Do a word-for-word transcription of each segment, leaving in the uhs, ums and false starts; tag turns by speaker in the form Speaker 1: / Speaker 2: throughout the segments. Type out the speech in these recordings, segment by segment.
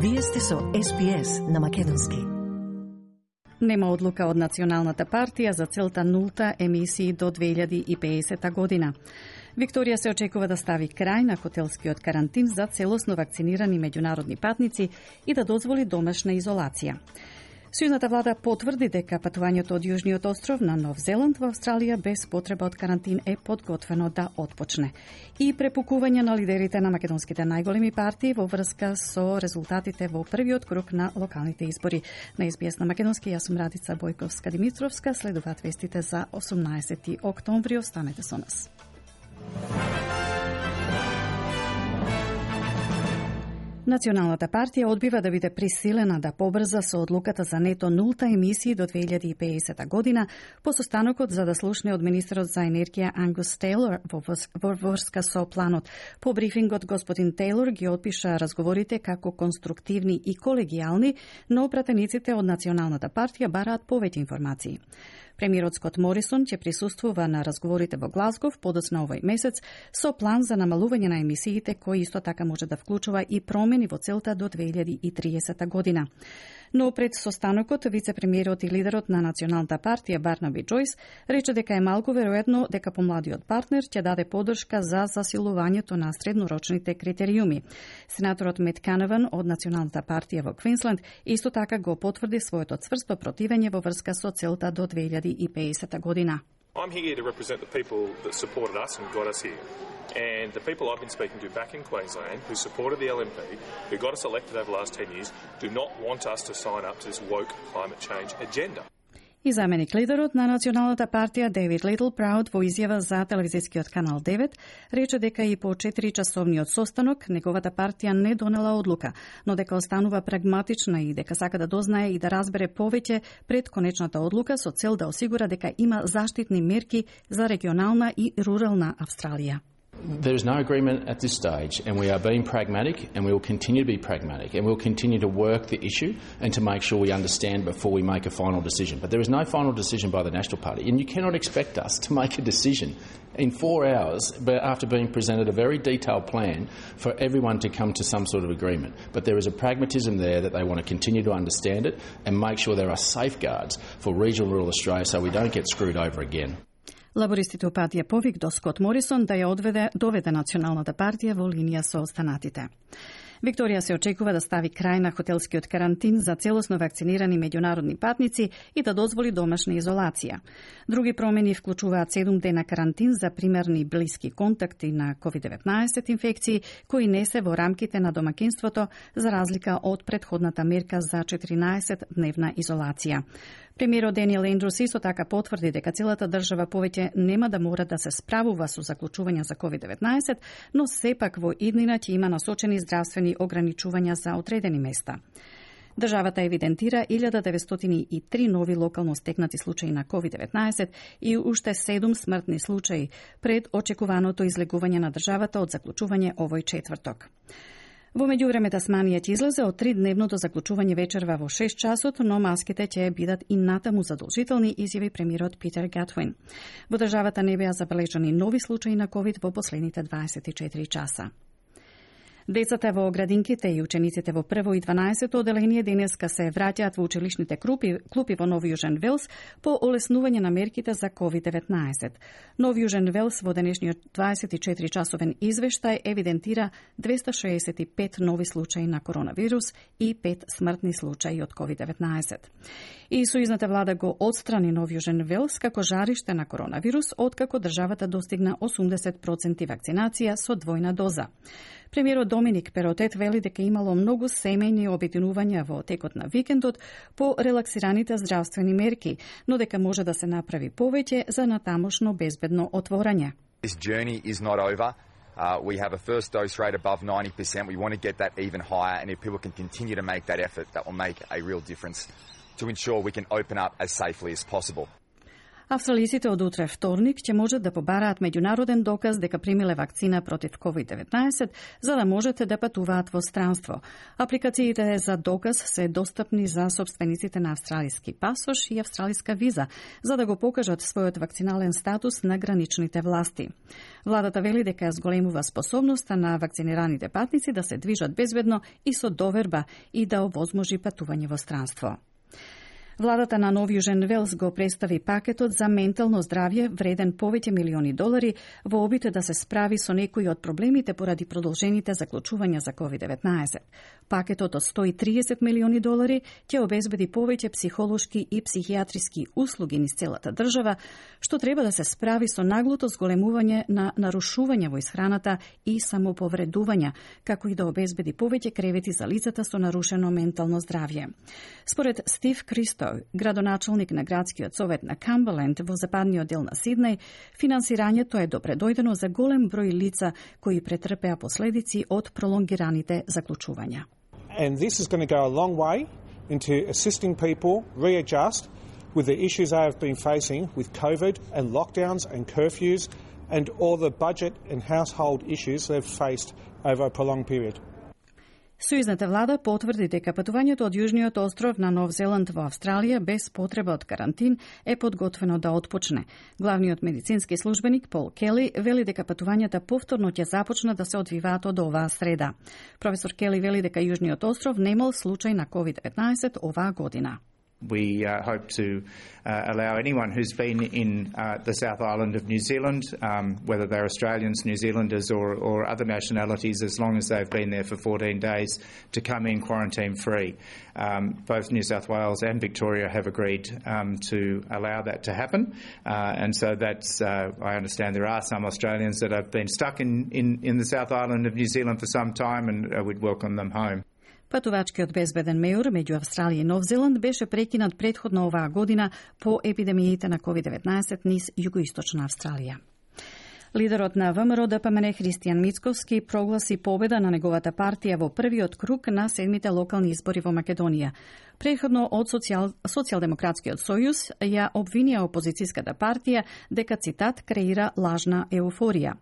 Speaker 1: Вие сте со Ес Би Ес на македонски.
Speaker 2: Нема одлука од Националната партија за целта нулта емисии до две илјади и педесета година. Викторија се очекува да стави крај на хотелскиот карантин за целосно вакцинирани меѓународни патници и да дозволи домашна изолација. Сојузната влада потврди дека патувањето од Јужниот остров на Нов Зеланд во Австралија без потреба од карантин е подготвено да отпочне. И препукување на лидерите на македонските најголеми партии во врска со резултатите во првиот круг на локалните избори. На Ес Би Ес на македонски, јас сум Радица Бојковска-Димитровска, следуваат вестите за осумнаесети октомври, останете со нас. Националната партија одбива да биде присилена да побрза со одлуката за нето нулта емисии до две илјади и педесета година по состанокот за да слушне од министерот за енергија Ангус Тейлор во врска со планот. По брифингот господин Тейлор ги опиша разговорите како конструктивни и колегијални, но пратениците од Националната партија бараат повеќе информации. Премиерот Скот Морисон ќе присуствува на разговорите во Глазгов подоцна овој месец со план за намалување на емисиите кои исто така може да вклучува и промени во целта до две илјади и триесета година. Но пред состанокот, вице-премиерот и лидерот на Националната партија Барнаби Џојс рече дека е малку веројатно дека помладиот партнер ќе даде поддршка за засилувањето на среднорочните критериуми. Сенаторот Мет Каневан од Националната партија во Квинсленд исто така го потврди своето цврсто противење во врска со целта до две илјади и педесета година.
Speaker 3: I'm here to represent the people that supported us and got us here. And the people I've been speaking to back in Queensland who supported the L N P, who got us elected over the last ten years, do not want us to sign up to this woke climate change agenda.
Speaker 2: И заменик лидерот на Националната партија Дейвид Литл Прауд во изјава за телевизискиот канал девет рече дека и по четиричасовниот состанок неговата партија не донела одлука, но дека останува прагматична и дека сака да дознае и да разбере повеќе пред конечната одлука со цел да осигура дека има заштитни мерки за регионална и рурална Австралија.
Speaker 4: There is no agreement at this stage, and we are being pragmatic, and we will continue to be pragmatic, and we will continue to work the issue and to make sure we understand before we make a final decision. But there is no final decision by the National Party, and you cannot expect us to make a decision in four hours after being presented a very detailed plan for everyone to come to some sort of agreement. But there is a pragmatism there that they want to continue to understand it and make sure there are safeguards for regional rural Australia so we don't get screwed over again.
Speaker 2: Лабористите упатија повик до Скот Морисон да ја одведе, доведе Националната партија во линија со останатите. Викторија се очекува да стави крај на хотелскиот карантин за целосно вакцинирани меѓународни патници и да дозволи домашна изолација. Други промени вклучуваат седум дена карантин за примерни блиски контакти на ковид деветнаесет инфекции кои не се во рамките на домакинството за разлика од претходната мерка за четиринаесет дневна изолација. Премиерот Даниел Ендрус исто така потврди дека целата држава повеќе нема да мора да се справува со заклучувања за ковид деветнаесет, но сепак во иднина ќе има насочени здравствени ограничувања за одредени места. Државата евидентира илјада деветстотини и три нови локално стекнати случаи на ковид деветнаесет и уште седум смртни случаи пред очекуваното излегување на државата од заклучување овој четврток. Во меѓувреме Тасманија ќе излезе од тридневното заклучување вечерва во шест часот, но маските ќе бидат и натаму задолжителни, изјави премиерот Питер Гатвин. Во државата не беа забележани нови случаи на ковид во последните дваесет и четири часа. Децата во градинките и учениците во прво и дванаесетто оделение денеска се враќаат во училишните клупи, клупи во Нов Јужен Велс по олеснување на мерките за ковид деветнаесет. Нов Јужен Велс во денешниот дваесет и четири часовен извештај евидентира двеста шеесет и пет нови случаи на коронавирус и пет смртни случаи од ковид деветнаесет. И сојузната влада го отстрани Нов Јужен Велс како жариште на коронавирус, откако државата достигна осумдесет проценти вакцинација со двојна доза. Премиерот Доминик Перотет вели дека имало многу семејни обединувања во текот на викендот по релаксираните здравствени мерки, но дека може да се направи повеќе за натамошно безбедно отворање.
Speaker 5: This journey is not over. Uh, we have a first dose rate above ninety percent. We want to get that even higher, and if people can continue to make that effort, that will make a real difference to ensure we can open up as safely as possible.
Speaker 2: Австралиците од утре вторник ќе можат да побараат меѓународен доказ дека примиле вакцина против ковид деветнаесет за да можете да патуваат во странство. Апликациите за доказ се достапни за собствениците на австралиски пасош и австралиска виза, за да го покажат својот вакцинален статус на граничните власти. Владата вели дека зголемува способноста на вакцинираните патници да се движат безбедно и со доверба и да овозможи патување во странство. Владата на Нов Јужен Велс го представи пакетот за ментално здравје вреден повеќе милиони долари во обид да се справи со некои од проблемите поради продолжените заклучувања за ковид деветнаесет. Пакетот од сто и триесет милиони долари ќе обезбеди повеќе психолошки и психијатриски услуги низ целата држава, што треба да се справи со наглото зголемување на нарушување во исхраната и самоповредувања, како и да обезбеди повеќе кревети за лицата со нарушено ментално здравје. Според Стив Кристо, градоначалник на градскиот совет на Камберленд во западниот дел на Сиднеј, финансирањето е добредојдено за голем број лица кои претрпеа последици од пролонгираните заклучувања.
Speaker 6: And this is going to go a long way into assisting people readjust with the issues they have been facing with COVID and lockdowns and curfews and all the budget and household issues they've faced over a prolonged period.
Speaker 2: Сојузната влада потврди дека патувањето од Јужниот остров на Нов Зеланд во Австралија без потреба од карантин е подготвено да отпочне. Главниот медицински службеник Пол Кели вели дека патувањата повторно ќе започнат да се одвиваат од оваа среда. Професор Кели вели дека Јужниот остров немал случај на ковид деветнаесет оваа година.
Speaker 7: We uh, hope to uh, allow anyone who's been in uh, the South Island of New Zealand, um, whether they're Australians, New Zealanders or, or other nationalities, as long as they've been there for fourteen days, to come in quarantine-free. Um, both New South Wales and Victoria have agreed um, to allow that to happen. Uh, and so that's, uh, I understand there are some Australians that have been stuck in, in, in the South Island of New Zealand for some time, and uh, we'd welcome them home.
Speaker 2: Патувачкиот безбеден мејор меѓу Австралија и Нов Зеланд беше прекинат претходно оваа година по епидемиите на ковид деветнаесет низ југоисточна Австралија. Лидерот на ВМРО Д П М Н Христијан Мицковски прогласи победа на неговата партија во првиот круг на седмите локални избори во Македонија. Преходно од социјал, Социјалдемократскиот сојуз ја обвинија опозицијската партија дека, цитат, креира лажна еуфорија.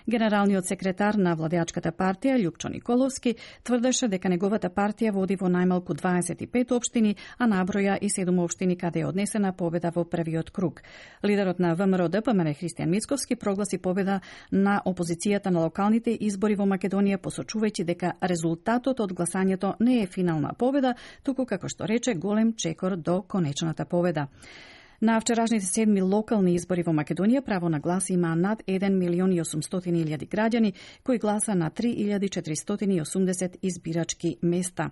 Speaker 2: Генералниот секретар на владеачката партија Љупчо Николовски тврдеше дека неговата партија води во најмалку дваесет и пет општини, а наброја и седум општини каде е однесена победа во првиот круг. Лидерот на ВМРО Д П М Н Христијан Мицковски прогласи победа на опозицијата на локалните избори во Македонија, посочувајќи дека резултатот од гласањето не е финална победа, туку, како што рече, голем чекор до конечната победа. На вчерашните седми локални избори во Македонија право на глас има над еден милион и осумстотини илјади граѓани кои гласа на три илјади четиристотини и осумдесет избирачки места.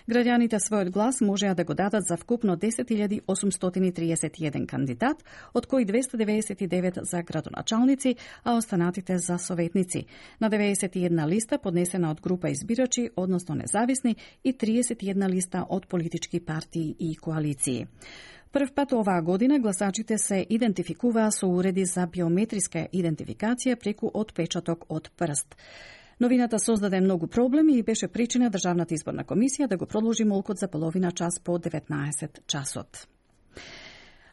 Speaker 2: Граѓаните својот глас можеа да го дадат за вкупно десет илјади осумстотини триесет и еден кандидат, од кои двесте деведесет и девет за градоначалници, а останатите за советници. На деведесет и една листа поднесена од група избирачи, односно независни, и триесет и една листа од политички партии и коалиции. Прв пат оваа година гласачите се идентификуваа со уреди за биометриска идентификација преку отпечаток од прст. Новината создаде многу проблеми и беше причина Државната изборна комисија да го продолжи молкот за половина час по деветнаесет часот.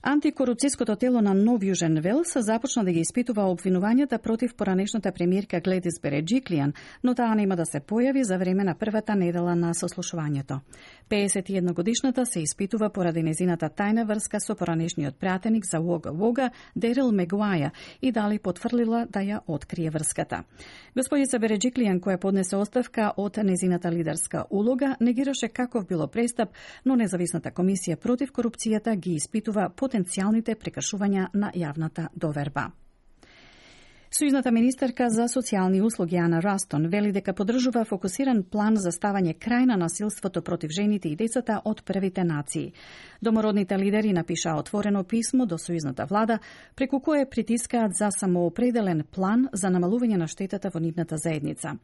Speaker 2: Антикорупцијското тело на Нов Јужен Велс започна да ги испитува обвинувањата против поранешната премиерка Гледис Береджиклијан, но таа нема да се појави за време на првата недела на сослушувањето. пеесет и една годишната се испитува поради незината тајна врска со поранешниот пратеник за Уога Уога Дерил Мегуаја и дали потврлила да ја открие врската. Господица Береджиклијан, која поднесе оставка од незината лидерска улога, негираше каков било престап, но независната комисија против корупцијата ги испитува потенцијалните прекршувања на јавната доверба. Сојузната министерка за социјални услуги Ана Растон вели дека поддржува фокусиран план за ставање крај на насилството против жените и децата од првите нации. Домородните лидери напишаа отворено писмо до сојузната влада, преку кое притискаат за самоопределен план за намалување на штетата во нивната заедница.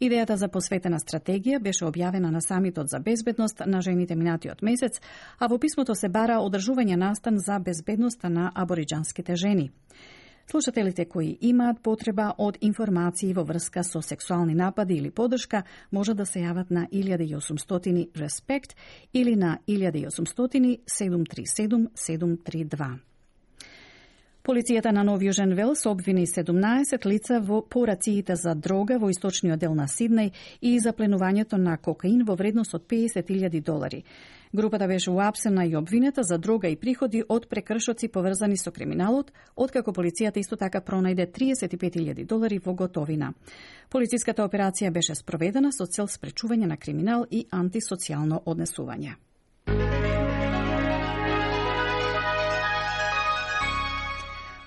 Speaker 2: Идејата за посветена стратегија беше објавена на самитот за безбедност на жените минатиот месец, а во писмото се бара одржување настан за безбедноста на абориџанските жени. Слушателите кои имаат потреба од информации во врска со сексуални напади или поддршка може да се јават на илјада и осумстотини респект или на илјада и осумстотини седум три седум седум три два. Полицијата на Нов Јужен Велс обвини седумнаесет лица во порациите за дрога во источниот дел на Сиднеј и запленувањето на кокаин во вредност од песет илјади долари. Групата беше уапсена и обвинета за дрога и приходи од прекршоци поврзани со криминалот, откако полицијата исто така пронајде триесет и пет илјади долари во готовина. Полициската операција беше спроведена со цел спречување на криминал и антисоцијално однесување.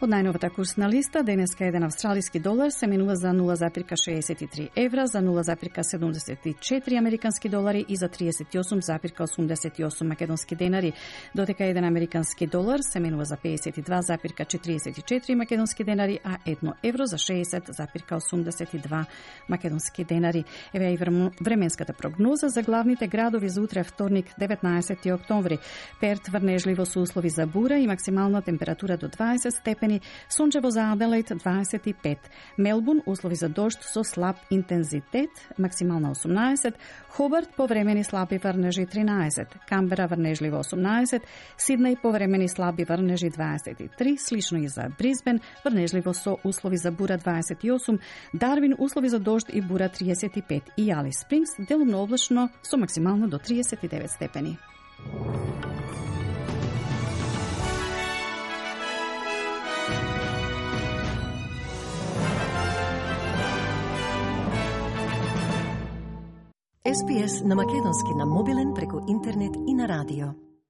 Speaker 2: Од најновата курсна листа, денеска еден австралиски долар се менува за нула запирка шеесет и три евра, за нула запирка седумдесет и четири американски долари и за триесет и осум запирка осумдесет и осум македонски денари, додека еден американски долар се менува за пеесет и два запирка четириесет и четири македонски денари, а едно евро за шеесет запирка осумдесет и два македонски денари. Еве и временската прогноза за главните градови за утре вторник, деветнаесети октомври. Перт врнежливо со услови за бура и максимална температура до дваесет степени, сончево за Аделаид дваесет и пет, Мелбурн услови за дожд со слаб интензитет, максимална осумнаесет, Хобарт повремени слаби врнежи тринаесет, Камбера врнежливо осумнаесет, Сиднеј повремени слаби врнежи дваесет и три, слично и за Брисбен, врнежливо со услови за бура дваесет и осум, Дарвин услови за дожд и бура триесет и пет и Алис Спрингс делумно облачно со максимално до триесет и девет степени.
Speaker 1: Ес Би Ес на македонски на мобилен преку интернет и на радио.